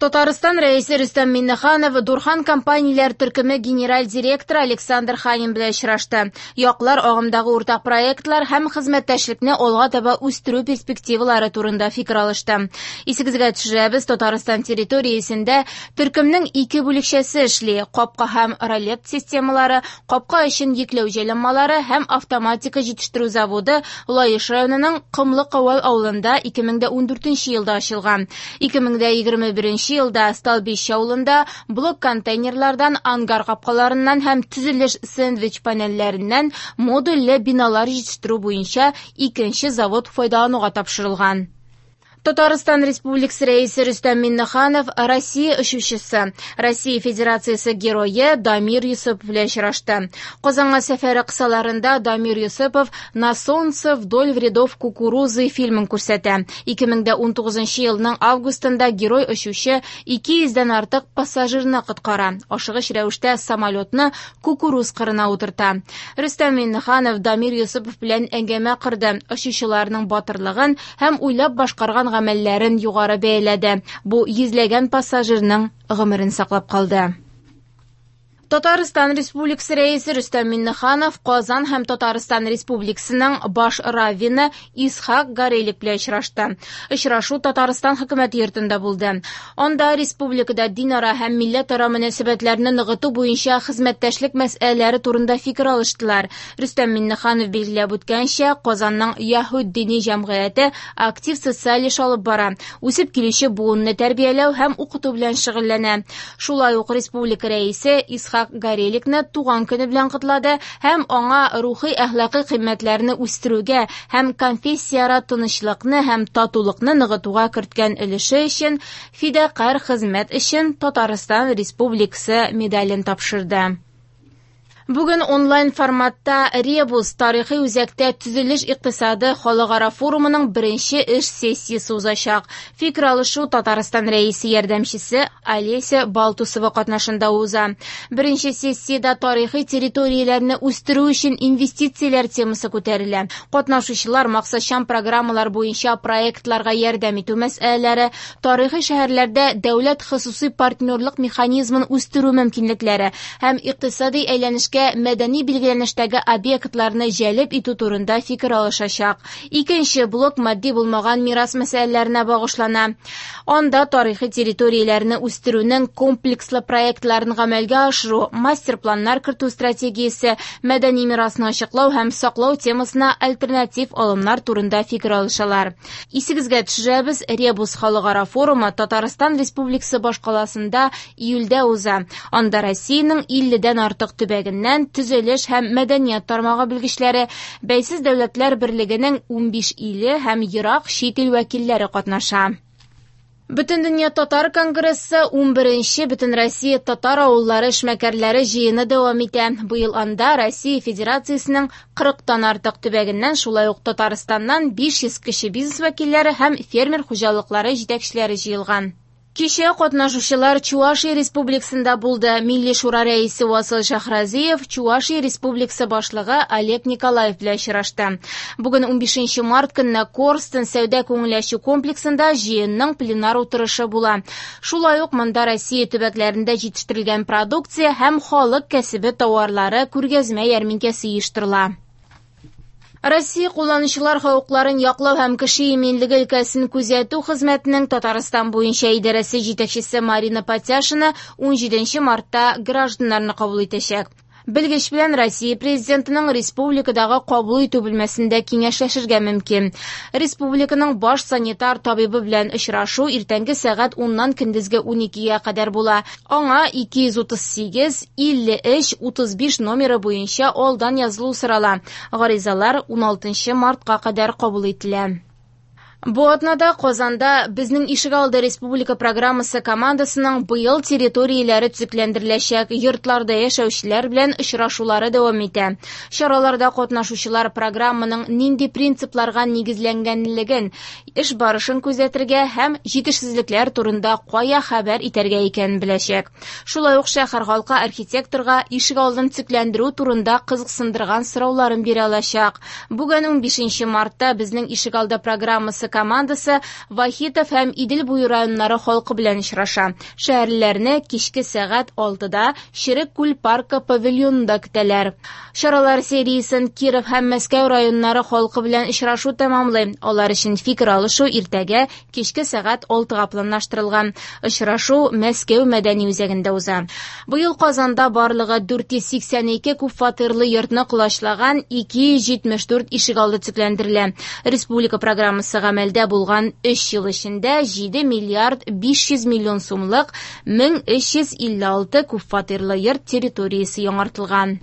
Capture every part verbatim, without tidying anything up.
Татарстан Рәисе Рөстәм Миңнеханов Дурхан компанияләр төркеме генераль директоры Александр Ханин белән очрашты. Яклар агымдагы уртак проектлар һәм хезмәттәшлекне алга таба үстерү перспективалары турында фикер алышты. Исегезгә төшерәбез, Татарстан территориясендә төркемнең ике бүлекчәсе эшли: капка һәм ролет системалары, капка өчен йөкләү җайланмалары һәм автоматика җитештерү заводы Лаеш районының Комлы Кавал авылында ике мең дә ундүртенче елда ачылган. ике мең дә егерме беренче елда Столбище авылында блок контейнерлардан, ангар капкаларыннан һәм төзелеш сэндвич панельләреннән модульле биналар җитештерү буенча икенче завод файдалануга тапшырылган. Татарстан Республикасы Рәисе Рөстәм Миңнеханов Россия очучысы, Россия Федерациясе герое Дамир Йосыпов белән очрашты. Казанга сәфәре кысаларында Дамир Йосыпов «На солнце вдоль рядов кукурузы» фильмын күрсәтә. ике мең дә унтугызынчы елның августында герой очучы ике йөздән артык пассажирны коткара. Ашыгыч рәвештә самолетны кукуруз кырына утырта. Рөстәм Миңнеханов Дамир Йосыпов белән әңгәмә корды. Очучыларның батырлыгын һәм уйлап башкарган гамәлләрен югары бәяләде. Бу йөзләгән пассажирның гомерен саклап калды. Татарстан Республикасы Рәисе Рөстәм Миңнеханов Казан һәм Татарстан Республикасының баш раввины Исхак Горелик белән очрашты. Очрашу Татарстан хөкүмәте йортында булды. Анда республикада динара һәм милләтара мөнәсәбәтләрне ныгыту буенча хезмәттәшлек мәсьәләләре турында фикер алыштылар. Рөстәм Миңнеханов билгеләп үткәнчә, Казанның Яһүд дини җәмгыяте актив социаль эш алып бара, үсеп килүче буынны тәрбияләү һәм укыту белән шөгыльләнә. Шулай ук республика рәисе Исхак Гореликны туган көне белән котлады һәм аңа рухи әхлакый кыйммәтләрне үстерүгә һәм конфессияара тынычлыкны һәм татулыкны ныгытуга керткән өлеше өчен фидакарь хезмәт өчен Татарстан Республикасы медален тапшырды. Бүген онлайн форматта Ребус тарихи үзәктә төзелеш икътисады халыкара форумының беренче эш сессиясе узачак. Фикер алышу Татарстан Рәисе ярдәмчесе Олеся Балтусова катнашында уза. Беренче сессиядә тарихи территорияләрне үстерү өчен инвестицияләр темасы күтәрелә. Катнашучылар максатчан программалар буенча проектларга ярдәм итү мәсьәләләре, тарихи шәһәрләрдә дәүләт хосусый партнерлык механизмын үстерү мөмкинлекләре һәм икътисади әйләнешкә мәдәни билгеләнештәге объектларны җәлеп итү турында фикер алышачак. Икенче блок матди булмаган мирас мәсьәләләренә багышлана. Анда тарихи территорияләрне үстерүнең комплекслы проектларын гамәлгә ашыру, мастер-планнар кертү стратегиясе, мәдәни мирасны ачыклау һәм саклау темасына альтернатив алымнар турында фикер алышалар. Исегезгә төшерәбез, Ребус халыкара форумы Татарстан Республикасы башкаласында июльдә уза. Анда Россиянең илледән артык төбәгеннән төзелеш һәм мәдәният тармагы белгечләре, Бәйсез дәүләтләр берлегенең унбиш иле һәм ерак чит ил вәкилләре катнаша. Бөтендөнья татар конгрессы унберенче Бөтенроссия татар авыллары эшмәкәрләре җыены дәвам итә. Быел анда Россия Федерациясенең кырыктан артык төбәгеннән, шулай ук Татарстаннан биш йөз кече бизнес вәкилләре һәм фермер хуҗалыклары җитәкчеләре җыелган. Кичә катнашучылар Чувашия Республикасында булды. Милли Шура рәисе Васил Шәһразиев Чувашия Республикасы башлыгы Олег Николаев белән очрашты. Бүген унбишенче март көнне Корстон сәүдә күңел ачу комплексында җыенның пленар утырышы була. Шулай ук монда Россия төбәкләрендә җитештерелгән продукция һәм халык кәсебе тауарлары күргәзмә ярминкәсе оештырыла. Россия кулланучылар хокукларын яклау һәм кеше иминлеге өлкәсен күзәтү хезмәтенең Татарстан буенча идарәсе җитәкчесе Марина Патяшина унҗиденче мартта гражданнарны кабул итәчәк. Белгеч белән Россия президентының республикадагы кабул итү бүлмәсендә киңәшләшергә мөмкин. Республиканың баш санитар табибы белән очрашу иртәнге сәгать уннан көндезге уникегә кадәр була. Аңа ике йөз утыз сигез, илле өч, утыз биш номеры буенча алдан язылу сорала. Гаризалар уналтынчы мартка кадәр кабул ителә. Бу атнада Казанда Безнең ишегалды республика программасы командасының быел территорияләре төзекләндереләчәк йортларда яшәүчеләр белән очрашулары дәвам итә. Чараларда катнашучылар программаның нинди принципларга нигезләнгәнлеген, эш барышын күзәтергә һәм җитешсезлекләр турында кая хәбәр итәргә икәнен беләчәк. Шулай ук шәһәр халкы архитекторга ишегалдын төзекләндерү турында кызыксындырган сорауларын бирә алачак. Бүген унбишенче мартта Безнең ишегалды программасы командасы Вахитов һәм Идел буе районнары халкы белән очраша. Шәһәрлеләрне кичке сәгать алтыда Черек күл паркы павильонында көтәләр. Чаралар сериясен Киров һәм Мәскәү районнары халкы белән очрашу тәмамлый. Алар өчен фикер алышу иртәгә кичке сәгать алтыга планлаштырылган. Очрашу Мәскәү мәдәни үзәгендә уза. Быел Казанда барлыгы дүрт йөз сиксән ике күпфатирлы йортны колачлаган ике йөз җитмеш дүрт ишегалды төзекләндерелә. Республика программасы гамәлдә булган өч ел эчендә җиде миллиард биш йөз миллион сумлык мең өч йөз илле алты күпфатирлы йорт территориясе яңартылган.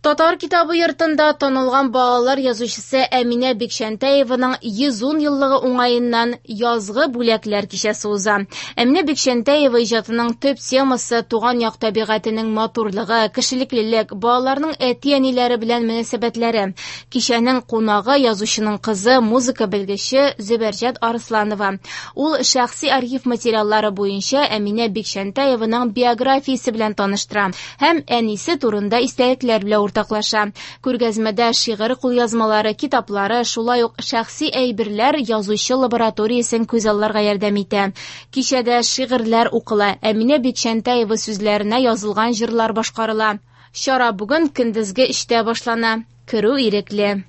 Татар китабы йортында танылган балалар язучысы Әминә Бикчәнтәеваның йөз ун еллыгы уңаеннан язгы бүләкләр кичәсе уза. Әминә Бикчәнтәева иҗатының төп темасы туган як табигатенең матурлыгы, кешелеклелек, балаларның әти-әниләре белән мөнәсәбәтләре. Кичәнең кунагы язучының кызы, музыка белгече Зөбәрҗәт Арысланова. Ул шәхси архив материаллары буенча Әминә Бикчәнтәеваның биографиясе белән таныштыра һәм әнисе турында истәлекләр белән уртаклаша. Күргәзмәдә шигырь кулъязмалары, китаплары, шулай ук шәхси әйберләр язучы лабораториясен күзалларга ярдәм итә. Кичәдә шигырьләр укыла, Әминә Бикчәнтәева сүзләренә язылган җырлар башкарыла. Чара бүген көндезге өчтә башлана. Керү ирекле.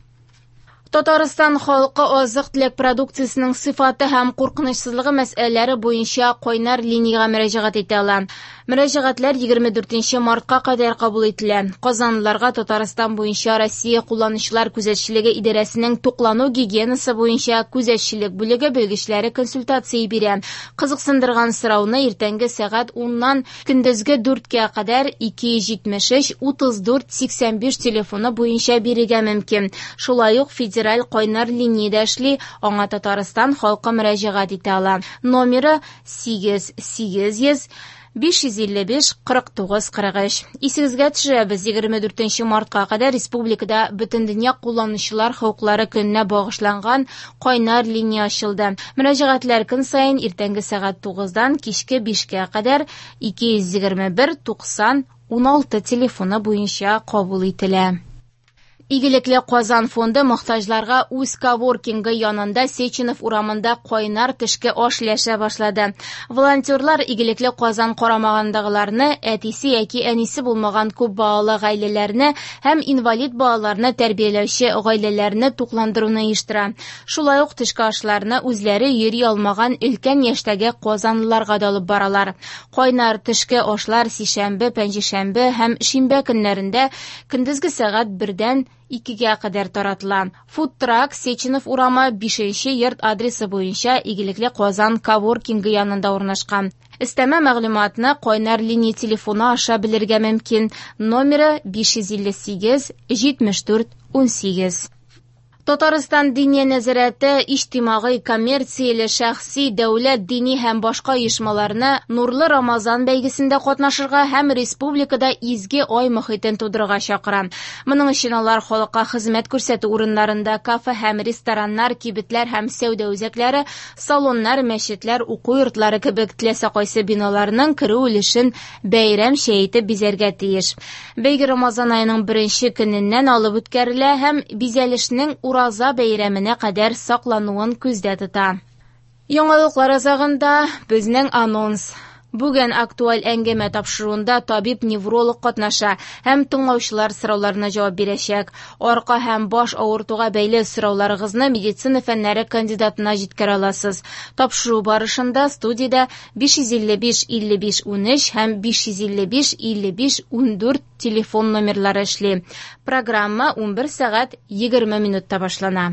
Татарстан халкы азык-төлек продукциясенең сыйфаты һәм куркынычсызлыгы мәсьәләләре буенча кайнар линиягә мөрәҗәгать итә ала. Мөрәҗәгатьләр егерме дүртенче мартка кадәр кабул ителә. Казанлыларга Татарстан буенча Россия кулланучылар күзәтчелеге идарәсенең туклану гигиенасы буенча күзәтчелек бүлеге белгечләре консультация бирә. Кызыксындырган сорауны иртәнге сәгать уннан көндезге дүрткә кадәр ике йөз җитмеш өч утыз дүрт сиксән биш телефоны буенча бирергә мөмкин. Шулай ук федераль кайнар линиядә эшли, аңа Татарстан халкы мөрәҗәгать итә ала. Номеры сигез сигез йөз биш йөз илле биш кырык тугыз кырык өч. Исегезгә төшерәбез, егерме дүртенче мартка кадәр республикада Бөтендөнья кулланучылар хокуклары көненә багышланган кайнар линия ачылды. Мөрәҗәгатьләр көн саен иртәнге сәгать тугыздан кичке бишкә кадәр ике йөз егерме бер туксан уналты телефоны буенча кабул ителә. Игелекле Казан фонды мохтаҗларга үз коворкингы янында Сеченов урамында кайнар төшке аш өләшә башлады. Волонтерлар Игелекле Казан карамагындагыларны, әтисе яки әнисе булмаган күп балалы гаиләләрне һәм инвалид балаларны тәрбияләүче гаиләләрне тукландыруны оештыра. Шулай ук төшке ашларны үзләре йөри алмаган өлкән яшьтәге казанлыларга да алып баралар. Кайнар төшке ашлар сишәмбе, пәнҗешәмбе һәм шимбә көннәрендә көндезге сәгать бердән икегә кадәр таратыла. Фудтрак Сеченов урамы бишенче йорт адресы буенча Игелекле Казан коворкингы янында урнашкан. Өстәмә мәгълүматны кайнар линия телефоны аша белергә мөмкин. Номеры биш йөз илле сигез җитмеш дүрт унсигез. Татарстан Диния нәзарәте иҗтимагый, коммерцияле, шәхси, дәүләт, дини һәм башка оешмаларны Нурлы Рамазан бәйгесендә катнашырга һәм республикада изге ай мохитен тудырырга чакыра. Моның өчен алар халыкка хезмәт күрсәтү урыннарында кафе һәм рестораннар, кибетләр һәм сәүдә үзәкләре, салоннар, мәчетләр, уку йортлары кебек теләсә кайсы биналарның керү өлешен бәйрәмчә итеп бизәргә тиеш. Бәйге Рамазан аеның беренче көненнән алып үткәрелә һәм бизәлешнең Ураза бәйрәменә кадәр саклануын күздә тота. Яңалыклар азагында безнең анонс. Бүген актуаль әңгәмә тапшыруында табиб-невролог катнаша һәм тыңлаучылар сорауларына җавап бирәчәк. Арка һәм баш авыртуга бәйле сорауларыгызны медицина фәннәре кандидатына җиткерә аласыз. Тапшыру барышында студиядә биш йөз илле биш илле биш унөч һәм биш йөз илле биш илле биш ундүрт телефон номерлары эшли. Программа унбер сәгать егерме минутта башлана.